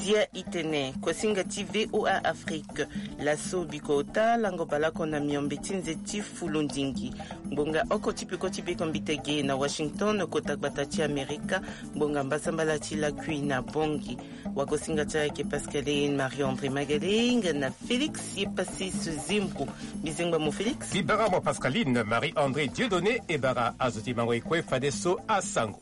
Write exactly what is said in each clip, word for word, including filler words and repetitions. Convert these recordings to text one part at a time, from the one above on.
Ya itene kosinga ti VOA Afrique. Laso biko ota lango baleoko na miombe ti nze ti fulundingi. Ngbonga oko ti peko ti beko mbitege na Washington, kota gbata ti Amerika. Ngbonga mbasambala ti lakui na Bongi. Wakosinga ti ayeke Pascaline Marie André Magaling na Félix Yepassis Zimbu. Bizengba mo Félix. Libara mo Pascaline Marie André Dieudonné. Ebara azo ti mango ekue fadeso asango.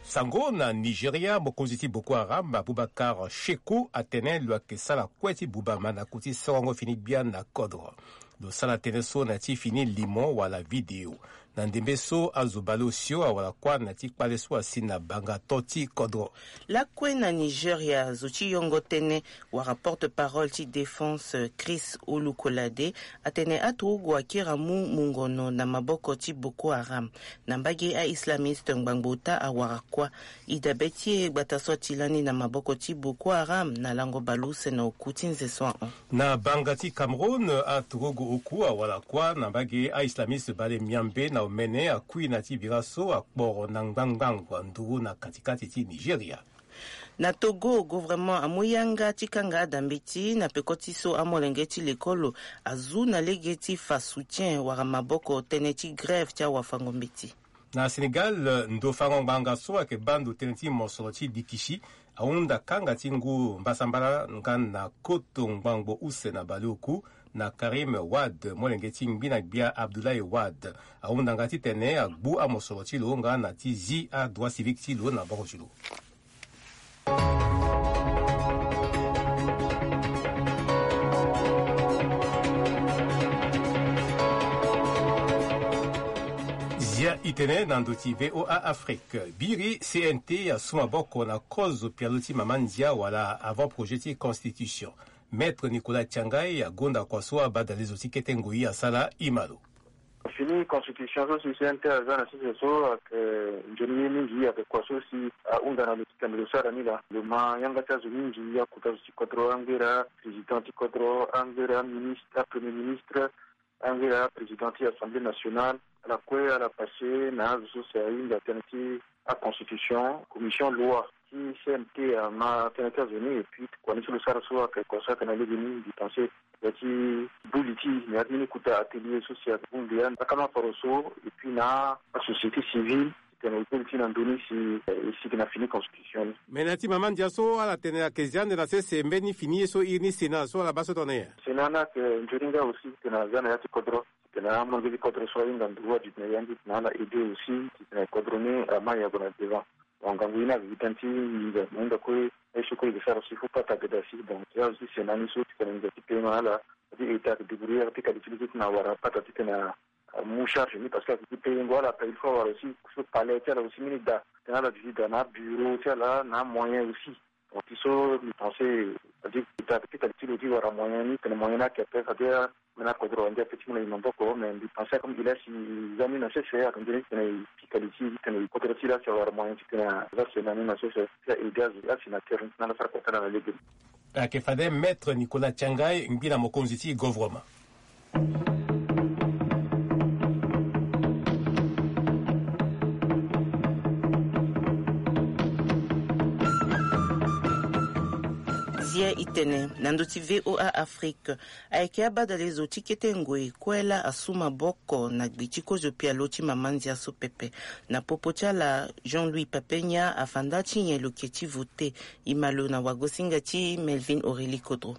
Sango na Nigeria, mokonzi ti Boko Haram Abubakar Sheku atene lo yeke sara kue ti buba mandaku ti sorongo fini gbia na kodro. Lo sara tënë so na ya ti fini limo wala video. Na ndembe so azo baleosio awara kuâ na ya ti kpale so asi na banga to ti kodro. Lakue na Nigeria, zo ti yongo tënë wala porte-parole ti défense Chris Olukolade atene aturugu akiri amu mungono na maboko ti Boko Haram. Na mbage a-islamiste ngbangbo ota awara kuâ. Idabe ti e gbata so ati lani na maboko ti Boko Haram na lango baleuse na oku ti nze so ahon. Na banga ti Cameroun, aturugu oku awara kuâ na mbage a-islamiste bale miambe na omene akui na ti bira so akporo na ngbangbango anduru na katikati ti Nigeria. Na Togo, gouvernement amu yanga ti kanga adambeti na peko ti so amolenge ti lekolo azu na lege ti fa soutien wala maboko tënë ti grève ti awafango mbeti. Na Sénégal, ndo fango ngbanga so ayeke baa ndo tënë ti mosoro ti dikisi ahunda kanga ti ngu mbasambala nga na koto ngbangbo use na baleoku na Karim Wade, molenge ti ngbi na gbia Abdoulaye Wade. Ahunda nga titene agbu amosoro ti lo nga na ti zi adroit civique ti lo na boko ti lo. Zia itene na ndo ti VOA Afrique. Biri C N T asu maboko na kozo pialo ti mama ndia wala avant projet ti constitution. Maître Nicolas Tiangai agonda kua so abadale zo ti kete ngoi asara ima lo. Fini constitution so si C N T aza na sese so ayeke nzoni ye mingi, ayeke kua so si ahunda na lo titene lo sara ni laa. Lo ma yanga ti azo mingi, akuta zo ti kodro, angera président ti kodro, angera ministre, apremier ministre, angera président ti assemblée nationale. Ala kue ala passe na azo so si ahinga tënë ti aconstitution, commission loi ti C N T ama tënë ti azo ni. Et puis kua ni so lo sara so ayeke kua so ayeke na lege ni, mbi pense ya ti buli ti, na ya ti mbeni kota atelier so si ayeke bongbi ya lakama faro so, et puis na asociété civile titene e koli ti na ndö ni si e sigi na fini constitution ni. Me na ya ti mama ndia so ala tene ayeke zi ande na sese mbeni fini ye so iri ni Sénat so ala baa so tongana nyen? Sénat ni ayeke nzoni nga aussi titene aza na ya ti kodro, titene amolenge ti kodro so ahinga nduru aduti na ya ni titene ala aidé aussi titene kodro ni ama yago na devant. Bon, ngangu ye ni ayeke gi tënë ti nginza, mo hinga kue aye so kue e yeke sara so il faut pata agada si. Donc ya aussi Sénat ni so titene nginza ti paiement ala, c'est-à-dire État ayeke débrouiller ti qualité ti titene awara pata titene amu charge ni, parce que ayeke gi payengo ala ape, il faut awara aussi so palais ti ala aussi mbeni da titene ala duti da na abureau ti ala na amoyen aussi. Donc ti so mbi pense, c'est-à-dire État ayeke ti qualité ti lo ti wara moyen ni titene moyen ni ayeke ape, c'est-à-dire Mena kodro ande ape ti mu na e maboko, mais mbi pense comme il a si za ni na sese, aka nzoni titene e pika li ti titene kodro ti la si awara moyen titene aza sena ni na sese ti a aidé azo asi na terrain ti na ala sara kota na lege. Ayeke fade Maître Nicolas Tiangai, ngbi na mokonzi ti gouvernement. Zia itene na ndo ti VOA Afrique. Ayeke abadale zo ti kete ngoi kue laa asu maboko na gbe ti kozo pialo ti mama ndia so pepe. Na popo ti ala, Jean-Louis Papenya afa nda ti nyen lo ke ti vote. E ma lo na wagosinga ti Melvin Aurélie Kodro.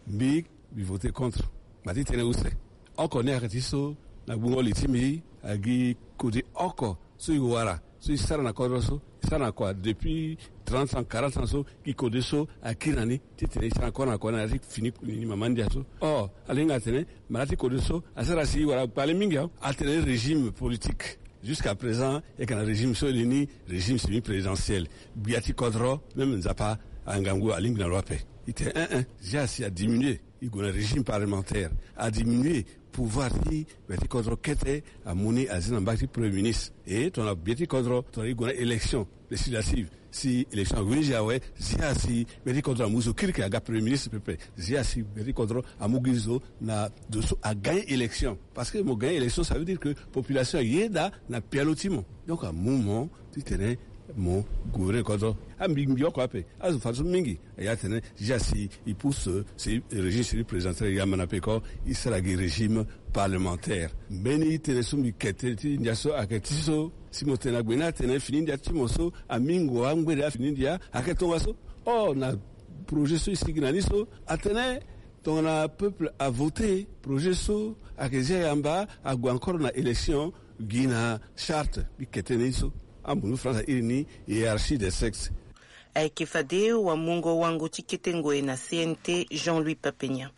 Mbi, mbi vote contre. Mbi tene use. Oko ni ayeke ti so na gbungo li ti mbi agi kodi oko so e wara so e sara na kodro so, e sara na kua depuis trente ans, quarante ans so, gi kode so akiri na ni titene e sara na kua na kua na ya ti fini ni mama ndia so. Or, ala hinga atene mara ti kode so asara si e wara kpale mingi awe. Atene régime politique. Jusqu'à présent e yeke na régime so e li ni régime semi-présidentiel. Gbia ti kodro, même Nzapa angangu alingbi na lo ape. E tene un un, zia si adiminué. E gue na régime parlementaire, adiminué pouvoir ti gbia ti kodro kete amu ni azi na mbage ti premier ministre. E tongana gbia ti kodro tongana e gue na élection législative, si élection ague ni gi awe, zia si gbia ti kodro amu zo kirikiri aga premier ministre pepe. Zia si gbia ti kodro amu gi zo na zo so agagne élection. Parce que mo gagne élection, ça veut dire que population ayeda na pialo ti mo. Donc amu mo titene Mo gouverner kodro. Ambi mbi oko ape. Azo fa so mingi. Ya tene, déjà si il pousse, si régime si présidentiel ya mana pe ko, il sera gi régime parlementaire. Mbeni tene so mbi kete ti ndia so ayeke ti so, si mo tene agbe na tene fini ndia ti mo so, amingo angbere afini ndia ayeke tongaso. Oh, na projet so e sigi na ni so, atene tongana peuple a voté projet so, ayeke zia yamba ague encore na élection, gi na charte. Mbi kete ni so, ambunu France airi ni hiérarchie des sexes. Ayeke fade wamungo wango ti kete ngoi na C N T, Jean-Louis Papenia.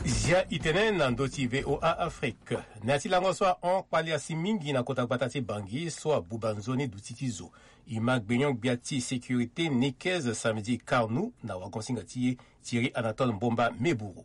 Zia itene na ndö ti V O A Afrique. Na ya ti lango so ahon kpali asi mingi na kota gbata ti Bangui so abuba nzoni duti ti zo. E ma gbenyo-gbia ti sécurité Nicaise Samedi Carnou na wagon-singa ti e Thierry Anatole Mbomba Meburu.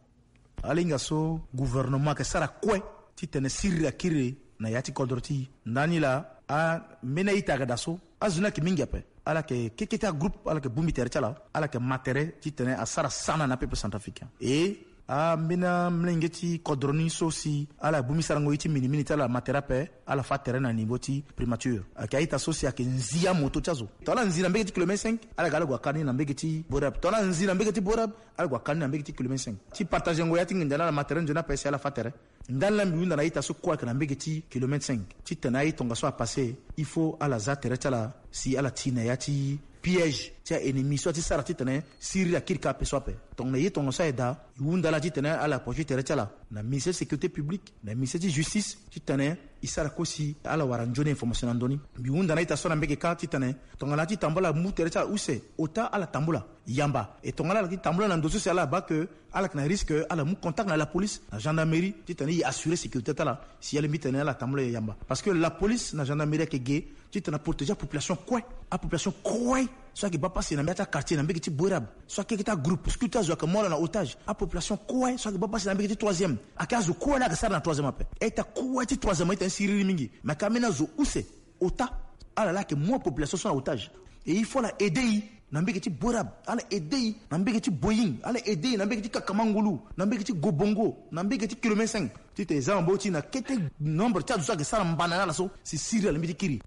Ala hinga so gouvernement ayeke sara kue titene siriri akiri na ya ti kodro ti e. Ndani laa, ambeni a-ita ayeke daa so, azo ni ayeke mingi ape. Ala yeke keke ti agroupe, ala yeke bongbi tere ti ala, ala yeke ma tere titene asara sana na apeuple centrafricain. E ambeni amolenge ti kodro ni so si ala bongbi sarango ye ti minimini ti ala ma tere ape, ala fâ tere na niveau ti primature. Ayeke a-ita so si ayeke nzi amoto ti azo. Tongana ala nzi na mbege ti kilomètre cinq, ala ga ala gue akari ni na mbege ti Borab. Tongana ala nzi na mbege ti Borab, ala gue akari ni na mbege ti kilomètre cinq. Ti partagengo ya ti nginza ni, ala ma tere nzoni ape si ala fâ tere. Ndani laa mbi hunda na a-ita so kue ayeke na mbege ti kilomètre cinq titene aye tongaso apasse, il faut ala za tere ti ala si ala ti na ya ti piège ti a-ennemi so ati sara titene siriri akiri kâ ape so ape. Tongana ye tongaso aye daa, e hunda ala titene ala poursuit tere ti ala na ministère sécurité publique, na ministère ti justice, titene e sara kue si ala wara nzoni information na ndö ni. Mbi hunda na a-ita so na mbege kâ titene tongana ati tambula mu tere ti ala use, ota ala tambula yamba. E tongana ala ti tambula na ndo so si ala baa ke ala yeke na risque, ala mu contact na la police, na gendarmerie, titene e assurer sécurité ti ala si alingbi titene ala tambula yamba. Parce que la police na gendarmerie ayeke ge titene aprotéger apopulation kue. Apopulation kue so ayeke baa pasi na mbage ti quartier, na mbage ti Borab, so ayeke keke ti agroupuscule ti azo ayeke mu ala na otage. Apopulation kue so ayeke baa pasi na mbage ti troisième, ayeke azo kue laa ayeke sara na troisième ape. A-ita kue ti troisième ayeke tene siriri mingi, mais ayeke ambeni azo use, ota, ala laa ayeke mu apopulation so na otage. Et il faut ala aider e na mbage ti Borab, ala aider e na mbage ti Boying, ala aider e na mbage ti Kakamangulu, na mbage ti Gobongo, na mbage ti kilomètre cinq, titene e za maboko ti e na kete nombre ti azo so ayeke sara mbana na ala so si siriri alingbi ti kiri.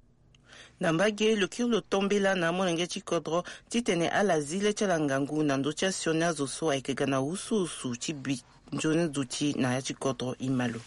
Na mbage, lo kiri lo tombela na amolenge ti kodro titene ala zi le ti ala ngangu na ndö ti asioni azo so ayeke ga na wusuwusu ti bi nzoni duti na ya ti kodro. E ma lo.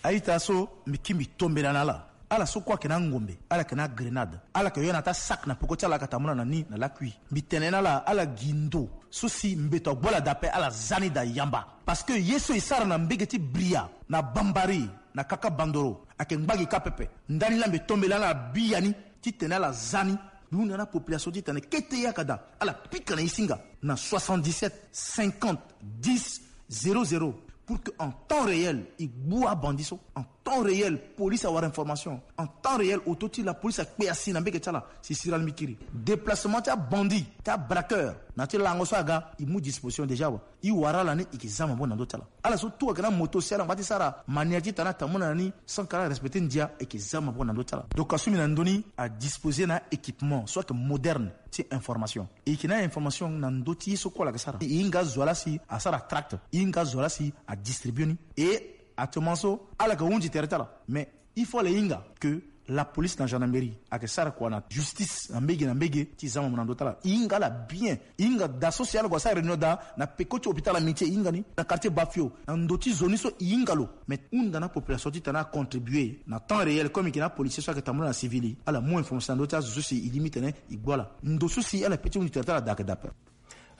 A-ita so mbi kiri mbi tombela na ala. Ala so kue ayeke na angombe, ala yeke na agrenade, ala yeke yo na ata sac na peko ti ala, ala yeke tambula na ni na lakui. Mbi tene na ala, ala gi ndo so si mbeto agbu ala daa ape, ala za ni daa yamba. Parce que ye so e sara na mbage ti Bria, na Bambari, na Kaka Bandoro, ayeke ngba gi kâ pepe. Ndani laa mbi tombela na ala biani titene ala za ni. Mbi hunda na apopulation titene kete ye ayeke daa, ala pika na e singa na soixante-dix-sept cinquante dix zéro zéro, pour que en temps réel e gbu abandi so. En temps réel, police awara information. En temps réel, auto ti la police akpe asi na mbage ti ala si siriri alingbi kiri. Déplacement ti abandi, ti abraqueur, na ya ti lango so aga, e mu disposition déjà awe. E wara ala ni, e yeke za maboko na ndö ti ala. Ala so tout ayeke na moto si ala ngba ti sara manière titene atambula na ni sans que ala respecter ndia, e yeke za maboko na ndö ti ala. Donc asumbi na ndö ni adisposer na équipement so ayeke moderne ti information. E yeke na information na ndö ti ye so kue ala yeke sara. E hinga azo wa laa si asara tract. E hinga azo wa laa si adistribue ni. Et actuellement so, ala yeke hunzi tere ti ala. Mais il faut ala hinga que la police na gendarmerie ayeke sara kua na justice na mbage na mbage ti za maboko na ndö ti ala. E hinga ala bien. E hinga daa so si ala gue asara réunion daa na peko ti hôpital Amitié, e hinga ni, na quartier Bafio, na ndo ti zo ni so, e hinga lo. Mais hunda na apopulation titene acontribuer na temps réel, comme e yeke na apolicier so ayeke tambula na civil, ala mu information na ndö ti azo so si e lingbi titene e gbu ala. Ndo so si ala pe ti hunzi tere ti ala daa ayeke daa ape.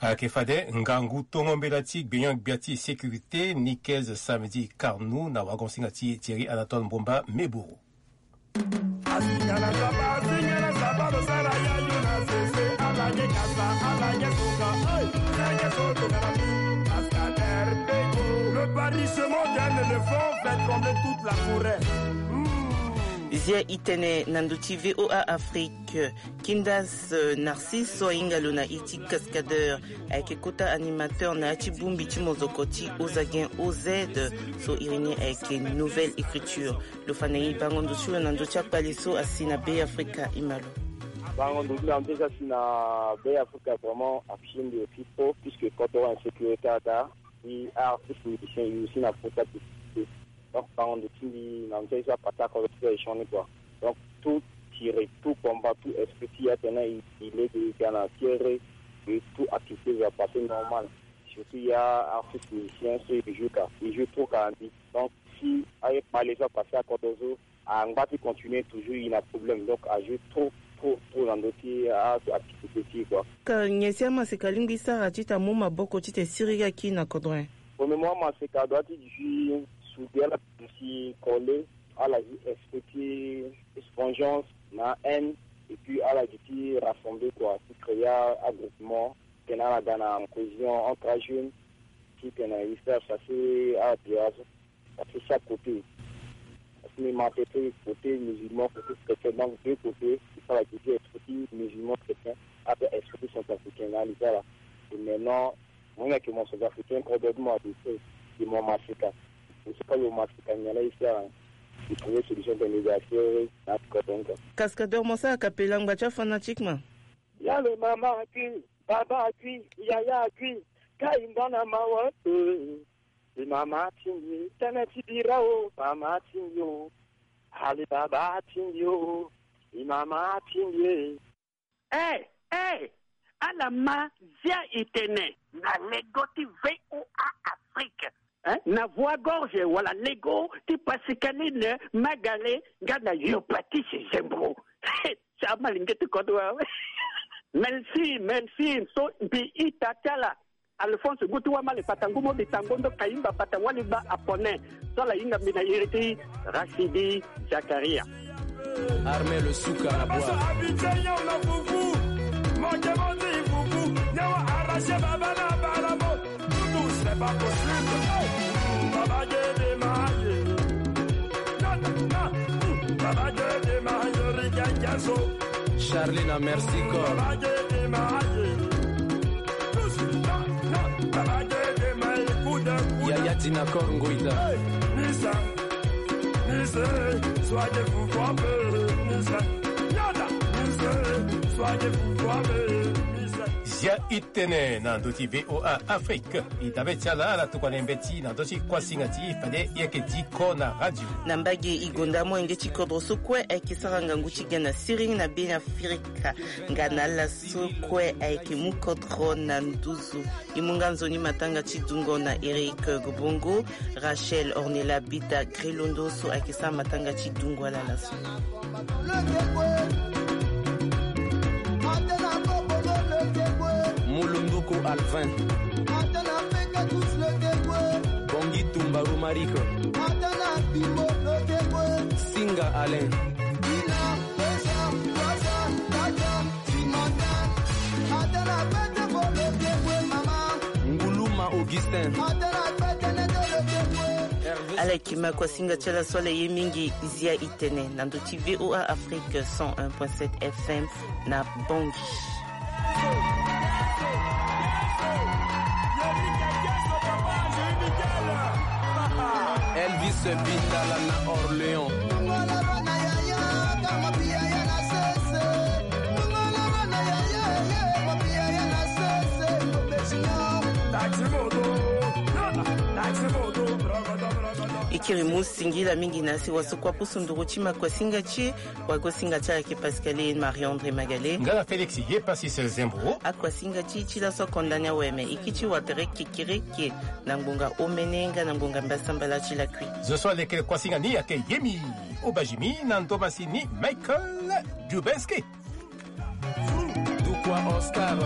Ayeke fade ngangu tongo mbela ti gbenyo-gbia ti sécurité Nicaise Samedi Carnou na wagon-singa ti Thierry Anatole Mbomba Meburu. Le barrissement d'un éléphant fait trembler toute la forêt. Hmm. Zia itene na ndo ti V O A Afrique. Kindas, euh, Narcisse so ahinga lo na iri ti Cascadeur ayeke kota animateur na ya ti bongbi ti mozoko ti Ozagen O Z, so iri ni ayeke Nouvelle Écriture. Lo fa na e bango ndo ti lo na ndö ti akpale so asi na Be Afrika. E ma lo. Bango ndoki na mpe eza si na Be Afrika vraiment afie nde aussi trop puisque quand on insécurité ata, i artiste musicien i aussi na kota te. Donc bango ndoki na mpe eza pata ko ti échange quoi. Donc tout tire, tout combat, tout esprit ti atene i lege ga na fiere et tout activité va passer normal. Surtout ya artiste musicien so i joue ka, i joue trop ka andi. Donc si aye kpale so apase akoto so angba ti continuer toujours i na problème. Donc ajoue trop trop trop na ndo ti ato activité ti quoi. Ka nyen si amaseka alingbi sara ti ta mu maboko ti te siriri aki na kodro? Premièrement amaseka adoit ti jui sude ala si coller, ala jui esprit ti vengeance na haine, et puis ala jui ti rassembler quoi, ti créer agroupement, tena ala ga na cohésion entre ajeune ti tena i faire chasser abia. Parce que chaque côté, parce que ma tete côté musulman, côté chrétien, donc deux côtés il faut la diviser esprit musulman chrétien après esprit centrafricain na lisala. Et maintenant moi na ke mon centrafricain probablement de fait de mon masika. Je sais pas le masika nyala ici à trouver solution de médiation na kodonga. Cascadeur mosa akapela ngba ti afanatiquement. Ya le mama akui, baba akui, yaya akui, ka i nda na mawa. E mama atingbi e, tene ti bira o mama atingbi o. Ali baba atingbi o, e mama atingbi e. E e, ala ma zia i tene na lego ti VOA Afrique. Na voix gorge wala lego ti Pascaline Magale nga na yo Patrice Zembro. Sa malinge ti kodro awe. Merci, merci. So mbi ita ti ala Alphonse ngu ti wamale pata ngu mo bitango ndo kayimba pata wali gba apone. So ala hinga mbi na iri ti Rachidi Zakaria. Armel Suka na bwa. Charlie na merci corps. Yaya Dina Kor Ngoita. Zia i tene na ndö ti VOA Afrique. E dabe ti ala ala tokua na e mbeti na ndö ti kuasinga ti e fade e yeke diko na radio. Na mbage e gonda amolenge ti kodro so kue ayeke sara ngangu ti ga na siriri na Be Afrika. Nga na ala so kue ayeke mu kodro na nduzu. E mu nga nzoni matanga ti dungo na Eric Gobongo, Rachel Ornella Bita Grelondo so ayeke sara matanga ti dungo ala laso. Mulunduku Alvin. Bongi Tumba Romaric. Singa Alain. Nguluma Augustin. Ala yeke ma kuasinga ti ala so ala ye mingi. Zia i tene na ndö ti VOA Afrique cent un point sept FM na Bangui. Elvis Bitala na Orléans. E kiri mu singila mingi na si waso kua pusu nduru ti makuasinga ti e. Wagosinga ti ala yeke Pascaline Marie-André Magale. Nga na Félix Yepassis Zembro. Akuasinga ti e ti laso akonda ni awe me e kiti watere kekereke na ngbonga omene nga na ngbonga mbasambala ti lakui. Zo so alekere kuasinga ni ayeke Yemi Obajimi na ndomasi ni Michael Dubenski. Dukwa Oscar.